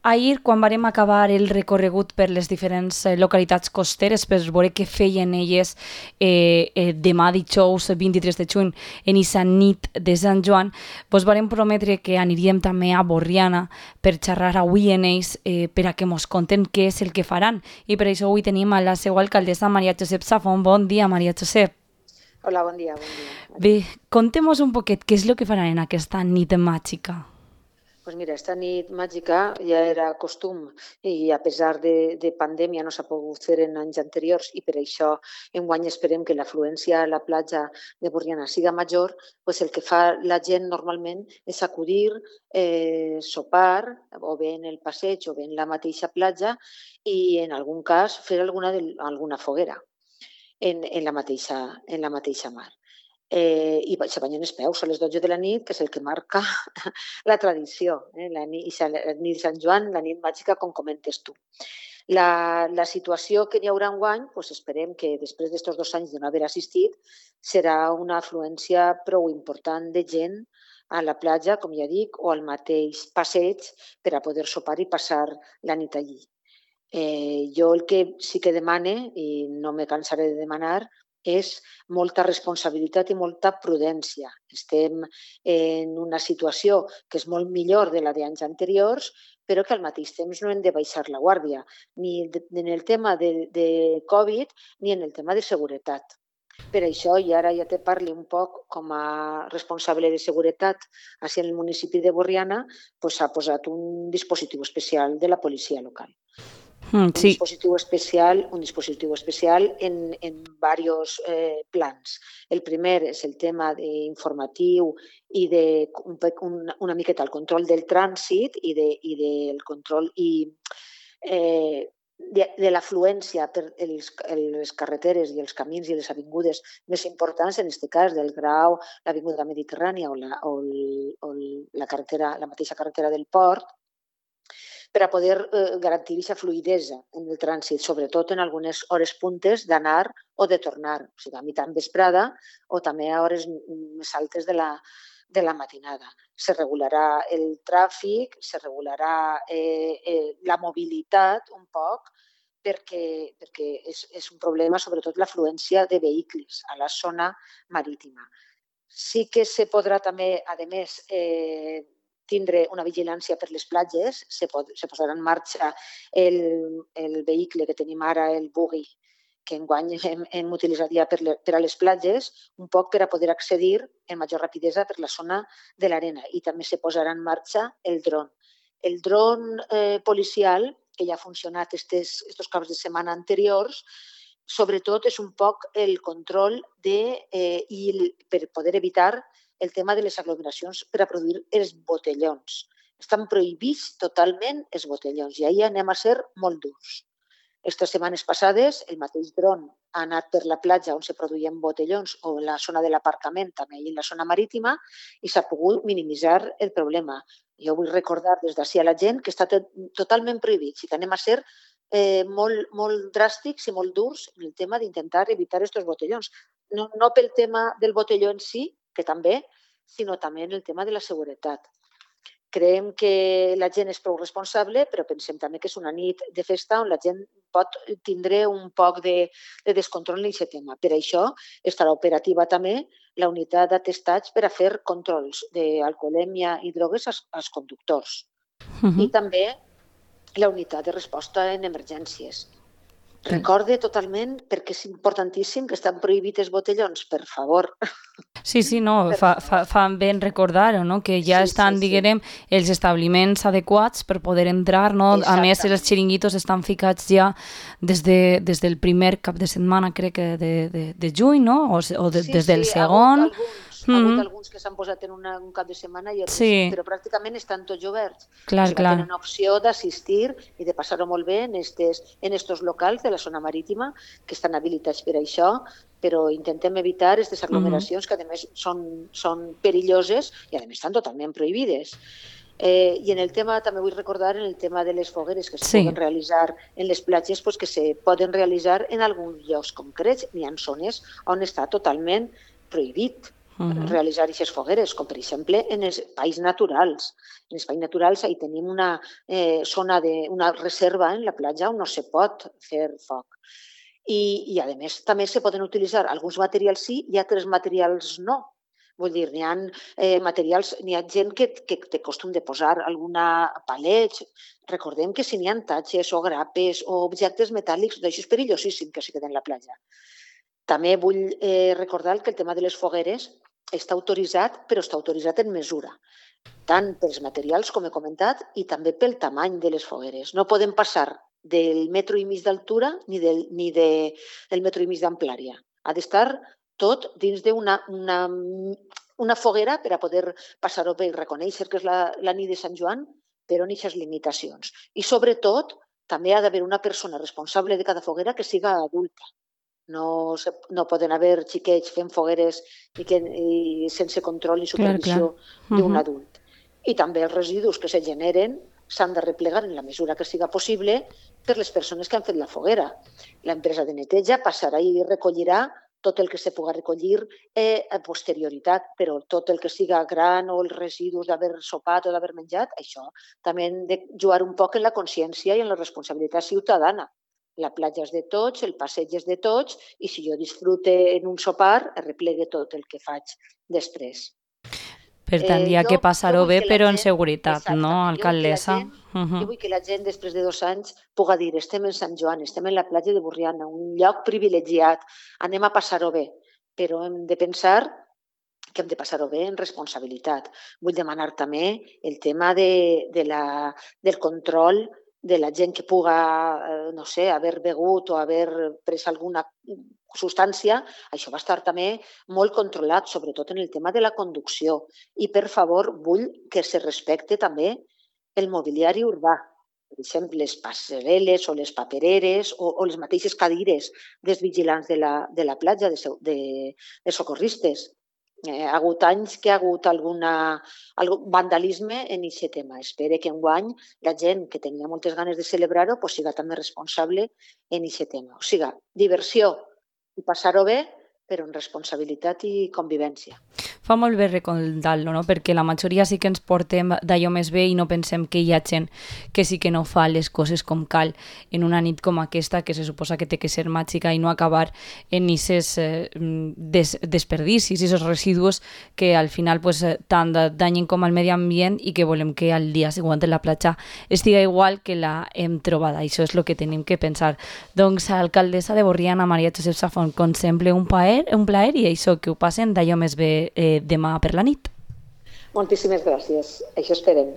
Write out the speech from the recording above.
Ahir, quan vàrem acabar el recorregut per les diferents localitats costeres per veure què feien elles demà dijous 23 de juny en aquesta nit de Sant Joan, vos vàrem prometre que aniríem també a Borriana per xerrar avui en ells per a que mos conten què és el que faran. I per això avui tenim a la seva alcaldessa Maria Josep Safon. Bon dia, Maria Josep. Hola, bon dia, bon dia. Bé, contem-nos un poquet què és el que faran en aquesta nit màgica. Pues mira, esta nit màgica ja era costum i a pesar de pandèmia no s'ha pogut fer en anys anteriors i per això enguany esperem que l'afluència a la platja de Borriana siga major, pues el que fa la gent normalment és acudir, sopar o bé en el passeig o bé en la mateixa platja i en algun cas fer alguna foguera en la mateixa mar. I se banyen els peus a les 12 de la nit, que és el que marca la tradició, la nit de Sant Joan, la nit màgica, com comentes tu. La situació que n'hi haurà enguany, doncs esperem que després d'estos 2 anys de no haver assistit, serà una afluència prou important de gent a la platja, com ja dic, o al mateix passeig per a poder sopar i passar la nit allí. Jo el que sí que demane, i no me cansaré de demanar, és molta responsabilitat i molta prudència. Estem en una situació que és molt millor de la d'anys anteriors, però que al mateix temps no hem de baixar la guàrdia, ni en el tema de Covid ni en el tema de seguretat. Per això, i ara ja te parli un poc com a responsable de seguretat així en el municipi de Borriana, s'ha posat un dispositiu especial de la policia local. Un dispositiu especial en diversos plans. El primer és el tema informatiu i una miqueta el control del trànsit i del control de l'afluència per les carreteres i els camins i les avingudes més importants, en aquest cas del Grau, l'Avinguda Mediterrània o la mateixa carretera del Port, per a poder garantir aquesta fluïdesa en el trànsit, sobretot en algunes hores puntes d'anar o de tornar, o sigui, a mitjan vesprada o també a hores més altes de la matinada. Se regularà el tràfic, se regularà la mobilitat un poc, perquè és un problema, sobretot l'afluència de vehicles a la zona marítima. Sí que se podrà també, a més, tindre una vigilància per les platges, se posarà en marxa el vehicle que tenim ara, el buggy, que enguany hem utilitzat ja per a les platges, un poc per a poder accedir amb major rapidesa per la zona de l'arena. I també se posarà en marxa el dron. El dron policial, que ja ha funcionat estos caps de setmana anteriors, sobretot és un poc el control per poder evitar el tema de les aglomeracions per a produir els botellons. Estan prohibits totalment els botellons i ahir anem a ser molt durs. Aquestes setmanes passades el mateix dron ha anat per la platja on se produïen botellons o en la zona de l'aparcament, també i en la zona marítima, i s'ha pogut minimitzar el problema. Jo vull recordar des d'ací a la gent que està totalment prohibit i que anem a ser molt dràstics i molt durs en el tema d'intentar evitar aquests botellons. No pel tema del botelló en si, que també, sinó també en el tema de la seguretat. Creiem que la gent és prou responsable, però pensem també que és una nit de festa on la gent pot tindre un poc de descontrol en aquest tema. Per això estarà operativa també la unitat d'atestats per a fer controls d'alcoholèmia i drogues als conductors. I també la unitat de resposta en emergències. Recorde totalment, perquè és importantíssim que estan prohibits els botellons, per favor. Sí, no, fa ben recordar-ho, no? Que ja estan, diguem, els establiments adequats per poder entrar, no? A més, els xiringuitos estan ficats ja des del primer cap de setmana, crec que de juny, no? O des del segon. Ha hagut alguns que s'han posat en un cap de setmana, però pràcticament estan tots oberts. Clar. Tenen opció d'assistir i de passar-ho molt bé en estos locals de la zona marítima que estan habilitats per això, però intentem evitar aquestes aglomeracions que a més són perilloses i a més estan totalment prohibides. I en el tema, també vull recordar, en el tema de les fogueres que se poden realitzar en les platges, que se poden realitzar en alguns llocs concrets. Hi ha zones on està totalment prohibit. realitzar aquestes fogueres, com per exemple en els espais naturals. En espais naturals hi tenim una zona, una reserva en la platja on no se pot fer foc. I a més, també se poden utilitzar alguns materials sí i altres materials no. Vull dir, n'hi ha materials, n'hi ha gent que té costum de posar alguna palets. Recordem que si n'hi ha tatxes o grapes o objectes metàl·lics, això és perillosíssim que se queden en la platja. També vull recordar que el tema de les fogueres està autoritzat, però està autoritzat en mesura, tant pels materials, com he comentat, i també pel tamany de les fogueres. No poden passar del 1,5 metres d'altura ni del 1,5 metres d'amplària. Ha d'estar tot dins d'una foguera per a poder passar-ho bé i reconèixer que és la nit de Sant Joan, però en aquestes limitacions. I sobretot, també ha d'haver una persona responsable de cada foguera que siga adulta. No poden haver xiquets fent fogueres i sense control ni supervisió d'un adult. I també els residus que se generen s'han de replegar en la mesura que siga possible per les persones que han fet la foguera. L'empresa de neteja passarà i recollirà tot el que se pugui recollir a posterioritat, però tot el que siga gran o els residus d'haver sopat o d'haver menjat, això també hem de jugar un poc en la consciència i en la responsabilitat ciutadana. La platja és de tots, el passeig és de tots, i si jo disfrute en un sopar, replegue tot el que faig després. Per tant, hi ha que passar-ho bé, però en seguretat, no, alcaldessa? Jo vull que la gent, després de 2 anys, pugui dir estem en Sant Joan, estem en la platja de Borriana, un lloc privilegiat, anem a passar-ho bé, però hem de pensar que hem de passar-ho bé en responsabilitat. Vull demanar també el tema del control de la gent que puga, no sé, haver begut o haver pres alguna substància. Això va estar també molt controlat, sobretot en el tema de la conducció. I, per favor, vull que se respecte també el mobiliari urbà. Per exemple, les passerel·les o les papereres o les mateixes cadires dels vigilants de la platja, de socorristes. Ha hagut anys que ha hagut algun vandalisme en aquest tema. Espero que enguany la gent que tenia moltes ganes de celebrar-ho siga també responsable en aquest tema. O sigui, diversió i passar-ho bé, però amb responsabilitat i convivència. Fa molt bé recordar-lo, no? Perquè la majoria sí que ens portem d'allò més bé i no pensem que hi ha gent que sí que no fa les coses com cal en una nit com aquesta, que se suposa que té que ser màgica i no acabar en aquests desperdicis, aquests residus que al final tant danyen com al medi ambient i que volem que al dia següent la platja estiga igual que la hem trobada. Això és el que tenim que pensar. Doncs, alcaldessa de Borriana, Maria Josep Safont, com sempre, un plaer i això, que ho passen d'allò més bé demà per la nit. Moltíssimes gràcies. Això esperem.